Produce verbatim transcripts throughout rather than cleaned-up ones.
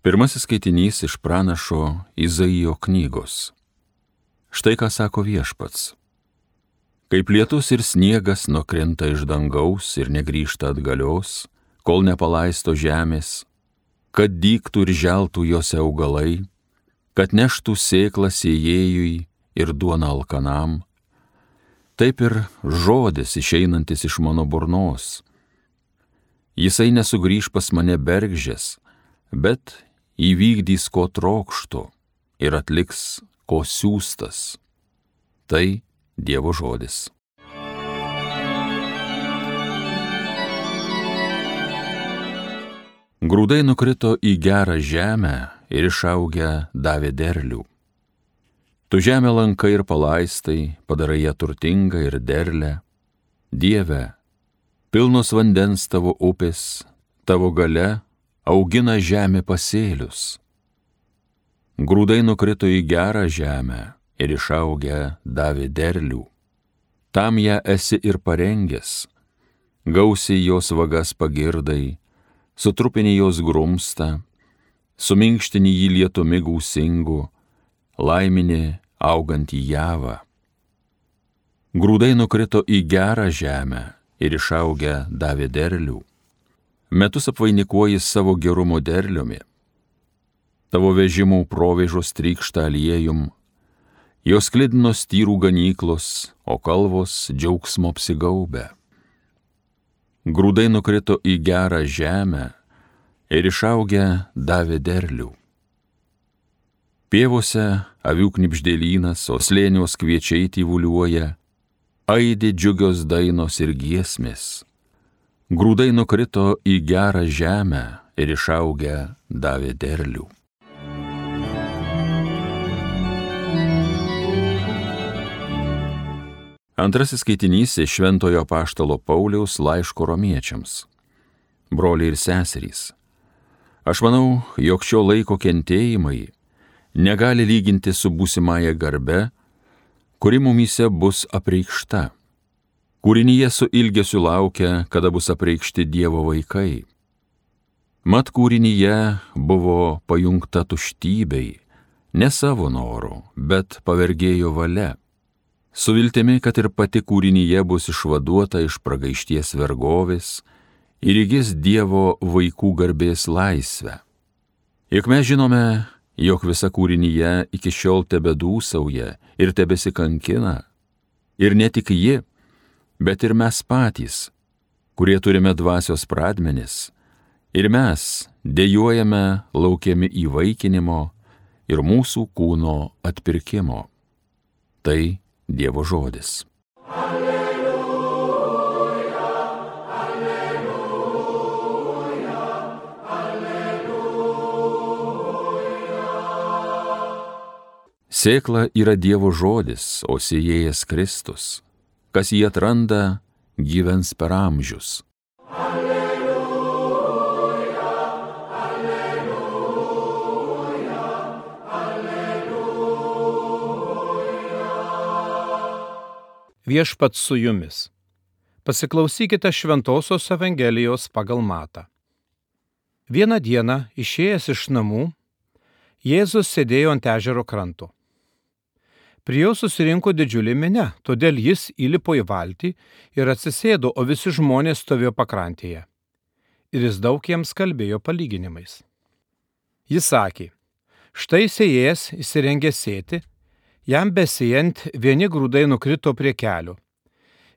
Pirmasis skaitinys iš pranašo Izaijo knygos. Štai ką sako Viešpats. Kaip lietus ir sniegas nukrinta iš dangaus ir negrįžta atgalios, kol nepalaisto žemės, kad dygtų ir želtų jose augalai, kad neštų sėklą sėjėjui ir duoną alkanam, taip ir žodis išeinantis iš mano burnos. Jisai nesugrįž pas mane bergždžias, bet įvykdys, ko trokštu, ir atliks, ko siųstas. Tai Dievo žodis. Grūdai nukrito į gerą žemę ir išaugę davė derlių. Tu žemę lankai ir palaistai, padarai ją turtingą ir derlę. Dieve, pilnos vandens tavo upės, tavo galia augina žemė pasėlius. Grūdai nukrito į gerą žemę ir išaugę davė derlių. Tam ją esi ir parengęs, gausiai jos vagas pagirdai, sutrupini jos grumstą, suminkštini jį lietumi gūsingu, laimini augantį javą. Grūdai nukrito į gerą žemę ir išaugę davė derlių. Metus apvainikuoji savo gerumo derliumi. Tavo vežimų provėžos trykšta aliejum, jos sklidinos tyrų ganyklos, o kalvos džiaugsmo apsigaubę. Grūdai nukrito į gerą žemę ir išaugę davė derlių. Pievose avių knibždėlynas, o slėnios kviečiai tyvuliuoja, aidi džiugios dainos ir giesmės. Grūdai nukrito į gerą žemę ir išaugę davė derlių. Antrasis skaitinys iš Šventojo apaštalo Pauliaus laiško romiečiams. Broliai ir seserys, aš manau, jog šio laiko kentėjimai negali lyginti su būsimąja garbe, kuri mumyse bus apreikšta. Kūrinyje su ilgesiu laukia, kada bus apreikšti Dievo vaikai. Mat kūrinyje buvo pajungta tuštybei, ne savo noru, bet pavergėjo valia. Su viltimi, kad ir pati kūrinyje bus išvaduota iš pragaišties vergovės ir įgis Dievo vaikų garbės laisvę. Juk mes žinome, jog visa kūrinyje iki šiol tebedūsauja ir tebesikankina. Ir ne tik ji, bet ir mes patys, kurie turime dvasios pradmenis, ir mes dejuojame laukiami įvaikinimo ir mūsų kūno atpirkimo. Tai Dievo žodis. Alleluja, alleluja, alleluja. Sėkla yra Dievo žodis, o sėjėjas Kristus. Kas jį atranda, gyvens per amžius. Alleluja, alleluja, alleluja. Viešpats su jumis. Pasiklausykite Šventosios Evangelijos pagal Matą. Vieną dieną, išėjęs iš namų, Jėzus sėdėjo ant ežero kranto. Prie jo susirinko didžiulė minia, todėl jis įlipo į valtį ir atsisėdo, o visi žmonės stovėjo pakrantėje. Ir jis daug jiems kalbėjo palyginimais. Jis sakė, štai sėjėjas įsirengė sėti, jam besėjant vieni grūdai nukrito prie kelio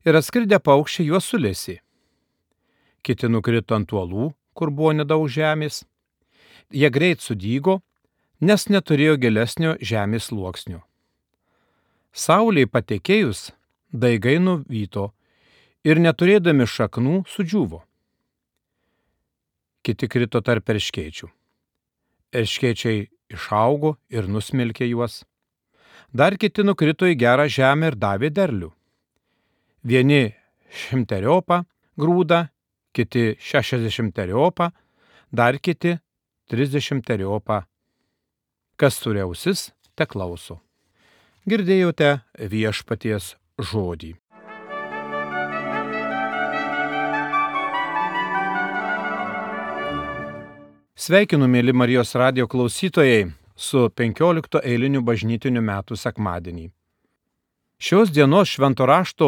ir atskridę paukščiai juos sulesė. Kiti nukrito ant uolų, kur buvo nedaug žemės. Jie greit sudygo, nes neturėjo gilesnio žemės sluoksnio. Saulei patekėjus, daigai nuvyto ir neturėdami šaknų sudžiūvo. Kiti krito tarp erškėčių. Erškėčiai išaugo ir nusmelkė juos. Dar kiti nukrito į gerą žemę ir davė derlių. Vieni šimteriopą grūdą, kiti šešiasdešimteriopą, dar kiti trisdešimteriopą. Kas turi ausis, te klauso. Girdėjote Viešpaties žodį. Sveikinu, mėly Marijos radijo klausytojai, su penkiolikto eiliniu bažnytiniu metų sekmadienį. Šios dienos švento rašto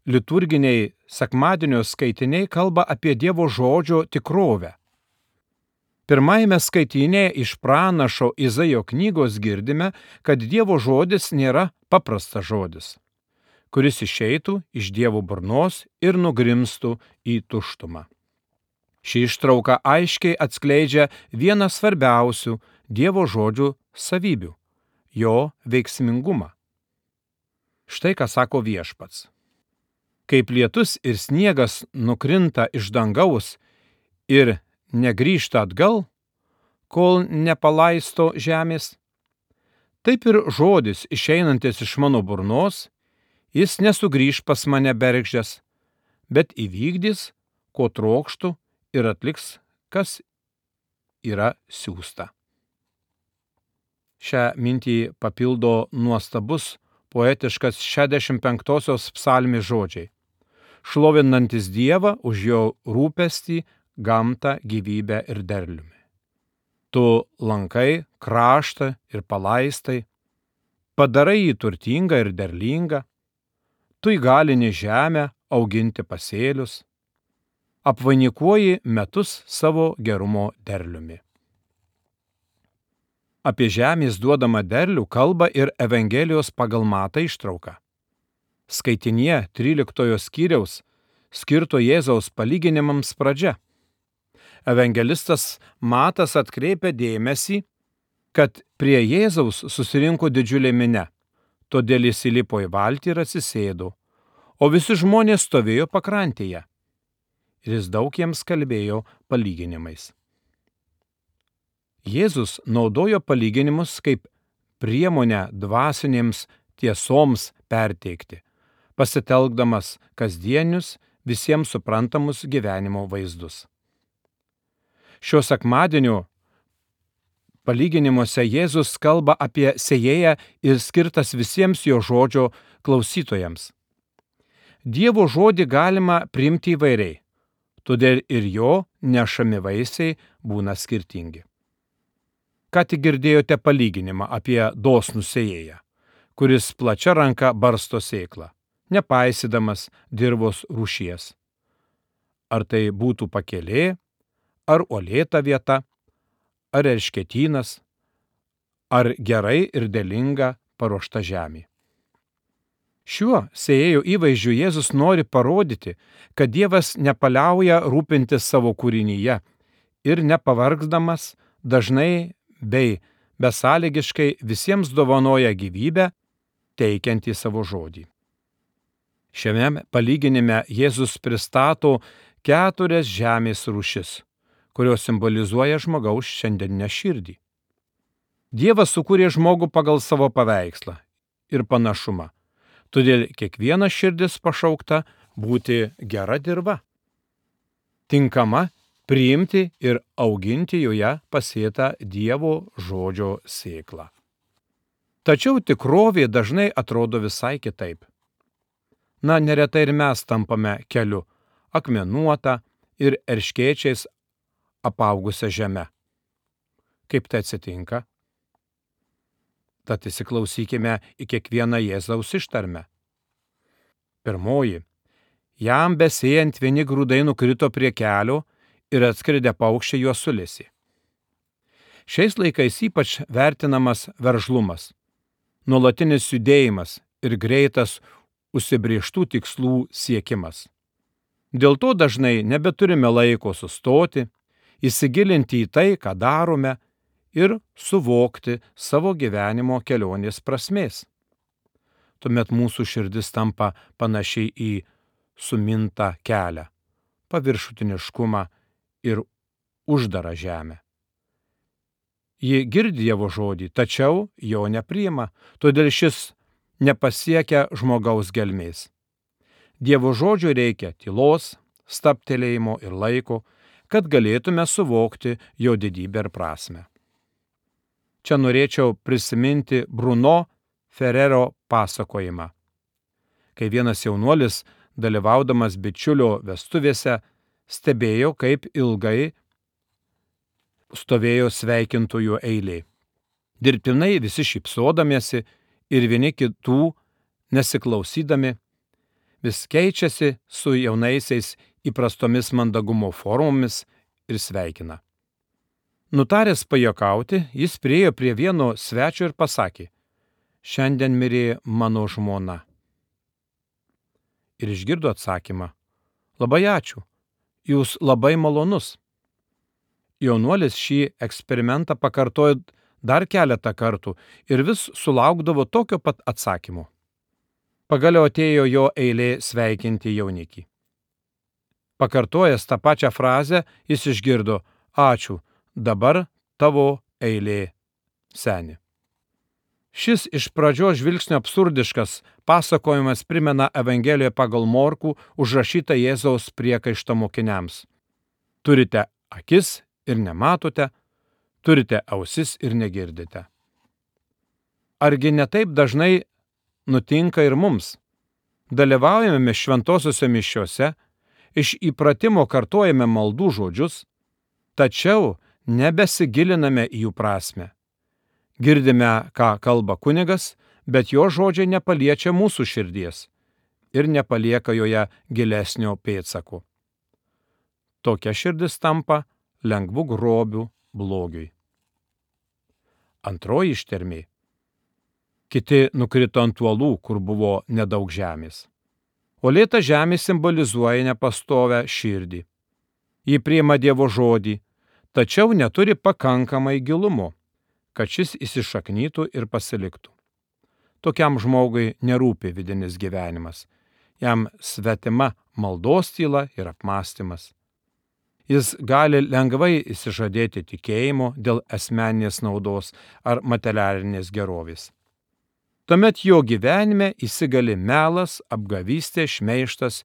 liturginiai sekmadienio skaitiniai kalba apie Dievo žodžio tikrovę. Pirmajame skaitinėje iš pranašo Izaijo knygos girdime, kad Dievo žodis nėra paprastas žodis, kuris išeitų iš Dievo burnos ir nugrimstų į tuštumą. Ši ištrauka aiškiai atskleidžia vieną svarbiausių Dievo žodžių savybių – jo veiksmingumą. Štai ką sako Viešpats. Kaip lietus ir sniegas nukrinta iš dangaus ir negrįžta atgal, kol nepalaisto žemės, taip ir žodis išeinantis iš mano burnos, jis nesugrįž pas mane bergždžias, bet įvykdys, ko trokštų, ir atliks, kas yra siųsta. Šią mintį papildo nuostabus poetiškas šešiasdešimt penktosios psalmės žodžiai, šlovinantis Dievą už jo rūpestį, gamtą, gyvybę ir derliumi. Tu lankai kraštą ir palaistai, padarai jį turtingą ir derlingą, tu įgalini žemę auginti pasėlius, apvainikuoji metus savo gerumo derliumi. Apie žemės duodamą derlių kalba ir Evangelijos pagal Matą ištrauka. Skaitinėje tryliktojo skyriaus skirto Jėzaus palyginimams pradžia. Evangelistas Matas atkreipia dėmesį, kad prie Jėzaus susirinko didžiulė minia, todėl jis įlipo į valtį ir atsisėdo, o visi žmonės stovėjo pakrantėje. Ir jis daug jiems kalbėjo palyginimais. Jėzus naudojo palyginimus kaip priemonę dvasinėms tiesoms perteikti, pasitelkdamas kasdienius, visiems suprantamus gyvenimo vaizdus. Šio sekmadienio palyginimuose Jėzus kalba apie sėjėją ir skirtas visiems jo žodžio klausytojams. Dievo žodį galima priimti įvairiai, todėl ir jo nešami vaisiai būna skirtingi. Ką tik girdėjote palyginimą apie dosnų sėjėją, kuris plačia ranka barsto sėklą, nepaisydamas dirvos rūšies. Ar tai būtų pakelė, ar uolėta vieta, ar erškėtynas, ar gerai ir derlinga paruošta žemė. Šiuo sėjėjo įvaizdžiu Jėzus nori parodyti, kad Dievas nepaliauja rūpintis savo kūrinyje ir nepavargdamas dažnai bei besąlygiškai visiems dovanoja gyvybę, teikiantį savo žodį. Šiame palyginime Jėzus pristato keturias žemės rūšis, kurios simbolizuoja žmogaus šiandieninę širdį. Dievas sukūrė žmogų pagal savo paveikslą ir panašumą, todėl kiekviena širdis pašaukta būti gera dirva, tinkama priimti ir auginti joje pasėtą Dievo žodžio sėklą. Tačiau tikrovė dažnai atrodo visai kitaip. Na, neretai ir mes tampame keliu, akmenuota ir erškėčiais apaugusią žemę. Kaip tai atsitinka? Tad įsiklausykime į kiekvieną Jėzaus ištarmę. Pirmoji. Jam besėjant vieni grūdai nukrito prie kelio ir atskridę paukščiai juos sulesė. Šiais laikais ypač vertinamas veržlumas, nuolatinis judėjimas ir greitas užsibrėžtų tikslų siekimas. Dėl to dažnai nebeturime laiko sustoti, įsigilinti į tai, ką darome, ir suvokti savo gyvenimo kelionės prasmės. Tuomet mūsų širdis tampa panašiai į sumintą kelią, paviršutiniškumą ir uždarą žemę. Ji girdi Dievo žodį, tačiau jo nepriima, todėl šis nepasiekia žmogaus gelmės. Dievo žodžio reikia tylos, stabtelėjimo ir laiko, kad galėtume suvokti jo didybę ir prasmę. Čia norėčiau prisiminti Bruno Ferrero pasakojimą, kai vienas jaunuolis, dalyvaudamas bičiulio vestuvėse, stebėjo, kaip ilgai stovėjo sveikintojų eilė. Dirbtinai visi šypsodamiesi ir vieni kitų nesiklausydami, vis keičiasi su jaunaisiais įprastomis mandagumo formomis ir sveikina. Nutaręs pajuokauti, jis priėjo prie vieno svečio ir pasakė: šiandien mirė mano žmona. Ir išgirdo atsakymą: labai ačiū, jūs labai malonus. Jaunuolis šį eksperimentą pakartojo dar keletą kartų ir vis sulaukdavo tokio pat atsakymo. Pagaliau atėjo jo eilė sveikinti jaunikį. Pakartojęs tą pačią frazę, jis išgirdo: ačiū, dabar tavo eilė, seni. Šis iš pradžios žvilgsnio absurdiškas pasakojimas primena Evangelijoje pagal Morkų užrašytą Jėzaus priekaištą mokiniams. Turite akis ir nematote, turite ausis ir negirdite. Argi ne taip dažnai nutinka ir mums? Dalyvaujame šventosiuose mišiuose, iš įpratimo kartojame maldų žodžius, tačiau nebesigiliname į jų prasmę. Girdime, ką kalba kunigas, bet jo žodžiai nepaliečia mūsų širdies ir nepalieka joje gilesnio pėdsako. Tokia širdis tampa lengvu grobiu blogiui. Antroji ištarmė. Kiti nukrito ant uolų, kur buvo nedaug žemės. Uolėta žemė simbolizuoja nepastovę širdį. Ji priima Dievo žodį, tačiau neturi pakankamai gilumo, kad šis įsišaknytų ir pasiliktų. Tokiam žmogui nerūpi vidinis gyvenimas. Jam svetima maldos tyla ir apmąstymas. Jis gali lengvai išsižadėti tikėjimo dėl asmeninės naudos ar materialinės gerovės. Tuomet jo gyvenime įsigali melas, apgavystė, šmeižtas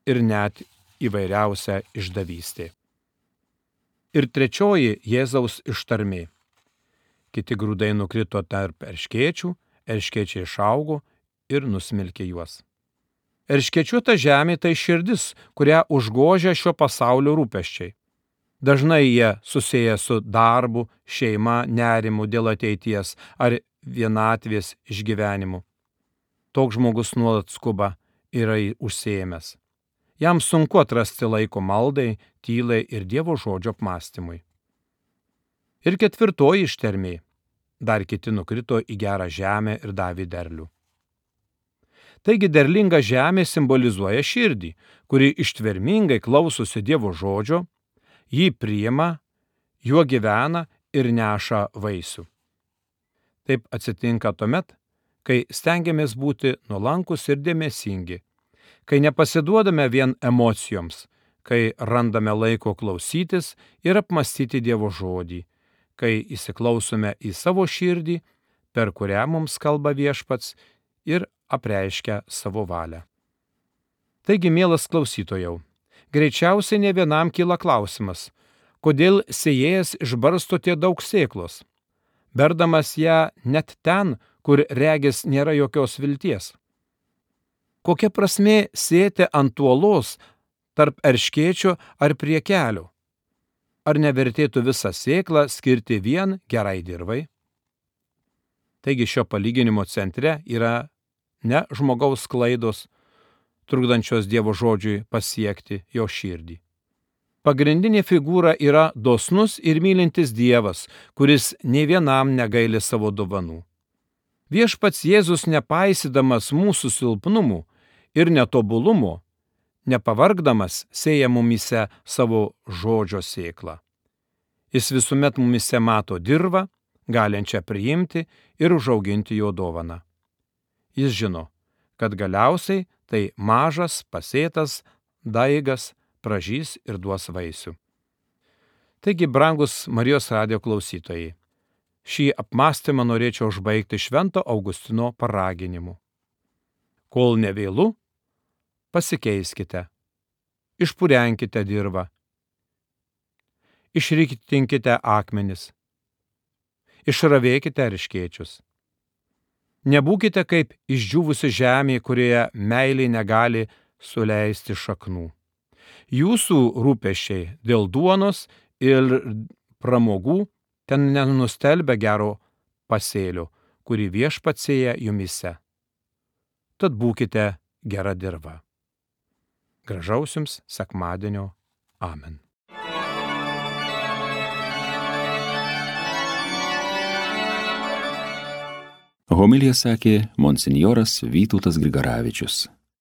ir net įvairiausia išdavystė. Ir trečioji Jėzaus ištarmė. Kiti grūdai nukrito tarp erškėčių, erškėčiai išaugo ir nusmelkė juos. Erškėčiuota žemė tai širdis, kurią užgožia šio pasaulio rūpesčiai. Dažnai jie susiję su darbu, šeima, nerimu dėl ateities ar vienatvės išgyvenimu. Toks žmogus nuolat skuba yra užsiėmęs. Jam sunku atrasti laiko maldai, tylai ir Dievo žodžio apmąstymui. Ir ketvirtoji ištarmė. Dar kiti nukrito į gerą žemę ir davė derlių. Taigi derlinga žemė simbolizuoja širdį, kuri ištvermingai klausosi Dievo žodžio, jį priima, juo gyvena ir neša vaisių. Taip atsitinka tuomet, kai stengiamės būti nuolankus ir dėmesingi, kai nepasiduodame vien emocijoms, kai randame laiko klausytis ir apmąstyti Dievo žodį, kai įsiklausome į savo širdį, per kurią mums kalba Viešpats ir apreiškia savo valią. Taigi, mielas klausytojau, greičiausiai ne vienam kyla klausimas, kodėl sėjėjas išbarsto tiek daug sėklos, berdamas ją net ten, kur regis nėra jokios vilties. Kokia prasmė sėti ant uolos tarp erškėčio ar prie kelio? Ar nevertėtų visą sėklą skirti vien gerai dirvai? Taigi šio palyginimo centre yra ne žmogaus klaidos, trukdančios Dievo žodžiui pasiekti jo širdį. Pagrindinė figūra yra dosnus ir mylintis Dievas, kuris nė vienam negaili savo dovanų. Viešpats Jėzus, nepaisydamas mūsų silpnumų ir netobulumo, nepavargdamas sėja mumise savo žodžio sėklą. Jis visuomet mumise mato dirvą, galinčią priimti ir užauginti jo dovaną. Jis žino, kad galiausiai tai mažas, pasėtas daigas pražys ir duos vaisių. Taigi, brangus Marijos radijo klausytojai, šį apmąstymą norėčiau užbaigti Švento Augustino paraginimu. Kol nevėlu, pasikeiskite, išpurenkite dirvą, išriktinkite akmenis, išravėkite erškėčius. Nebūkite kaip išdžiūvusi žemė, kurioje meilė negali suleisti šaknų. Jūsų rūpesčiai dėl duonos ir pramogų, ten nenustelbia gero pasėlio, kurį Viešpats sėja jumyse. Tad būkite gera dirva. Gražaus jums sekmadienio. Amen. Homiliją sakė monsinjoras Vytautas Grigaravičius.